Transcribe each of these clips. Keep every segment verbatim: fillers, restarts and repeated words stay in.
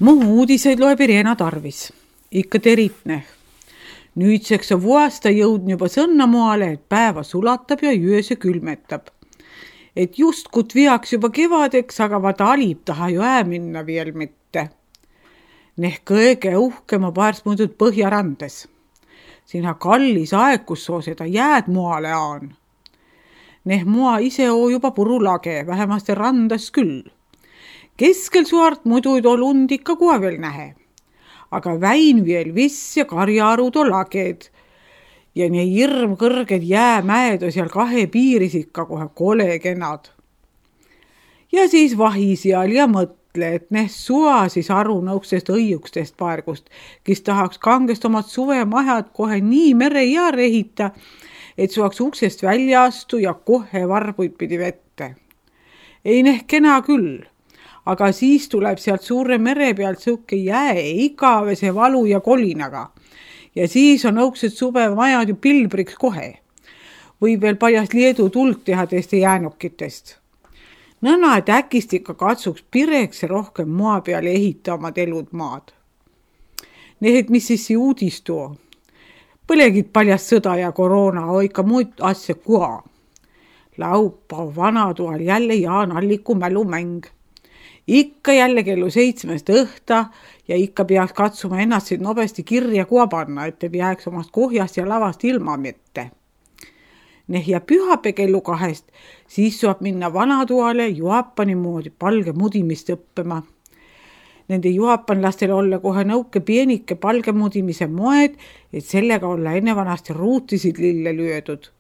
Muhu uudiseid loeb Irena Tarvis. Ikka teritne. Nüüdseks on vuasta jõudnud juba sõnnamoale, et päeva sulatab ja yöse külmetab. Et just kut viaks juba kevadeks, aga vaata alib taha ju ää minna veel mitte. Neh kõige uhkema paars muudud Põhjarandes. Siinha kallis aeg, kus soo seda jääd moale aan. Neh mua ise oo juba purulage, vähemasti randas küll. Keskel suart muidu ei too lund ikka kuva veel nähe. Aga väin veel viss ja karjaarud on laged. Ja nii hirm kõrged jäämäed on seal kahe piiris ikka kohe kole kenad. Ja siis vahi seal ja mõtle, et neh sua siis aru nõuksest õiukstest paargust, kes tahaks kangest omad suvemahjad kohe nii mere ja rehita, et suaks uksest välja astu ja kohe varbuid pidi vette. Ei neh kena küll. Aga siis tuleb sealt suure mere pealt suke jää igavese valu ja kolinaga. Ja siis on õuksed suvemajad ju pilbriks kohe. Võib veel paljast Leedu tuld teha teiste jäänukitest. Nõna, et äkist ikka katsuks pireks ja rohkem maa peale ehita omad elud maad. Need, mis siis see uudis tuo. Põlegid paljast sõda ja koroona, on ikka muid asja kua. Laupa vanatoal jälle Jaan Alliku mälumäng. Ikka jälle kellu seitsmest õhta ja ikka peaks katsuma ennast siit nobesti kirja kuva panna, et ei jääks omast kohjast ja lavast ilma mitte. Neh ja pühapäeva kellu kahest, siis saab minna vanatoale Jaapani moodi palge mudimist õppima. Nende jaapanlastel olla kohe nõuke pienike palge mudimise moed, et sellega olla enne vanasti ruutisid lille lyödud.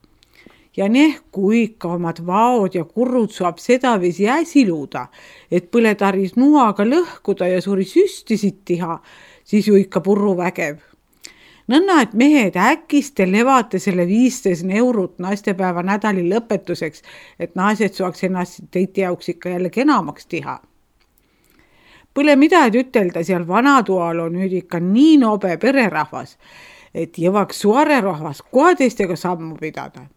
Ja neh, kui ikka omad vaod ja kurrud saab sedaviisi äsiluuda, et põletaris nuaga lõhkuda ja suuri süstisid tiha, siis ju ikka purru vägev. Nõnna, et mehed äkiste levate selle viisteist eurot naistepäeva nädali lõpetuseks, et naised saaks ennast teiti jauks ikka jälle kenamaks tiha. Põle mida et ütelda, seal vanatoal on nüüd ikka nii nobe pererahvas, et jõvaks suare rahvas kohe teistega sammu pidada.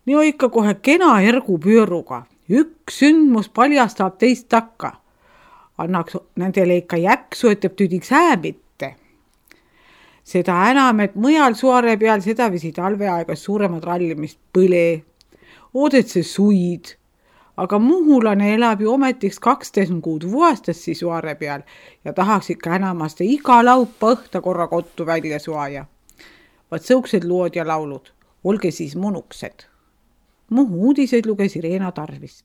Nii on ikka kohe kena ergu pööruga. Üks sündmus paljastab teist takka. Annaks nendele ikka jäksu, et tüdiks häämitte. Seda enam, et mõjal suare peal seda visi talveaegas suuremad rallimist põle. Oodet see suid. Aga muhulane elab ju ometiks kaksteist kuud vuastassi suare peal ja tahaks ikka enamaste iga laupa õhta korra kottu välja suaja. Vaat sõuksed lood ja laulud. Olge siis munuksed. Muhu uudiseid luges Irena Tarvis.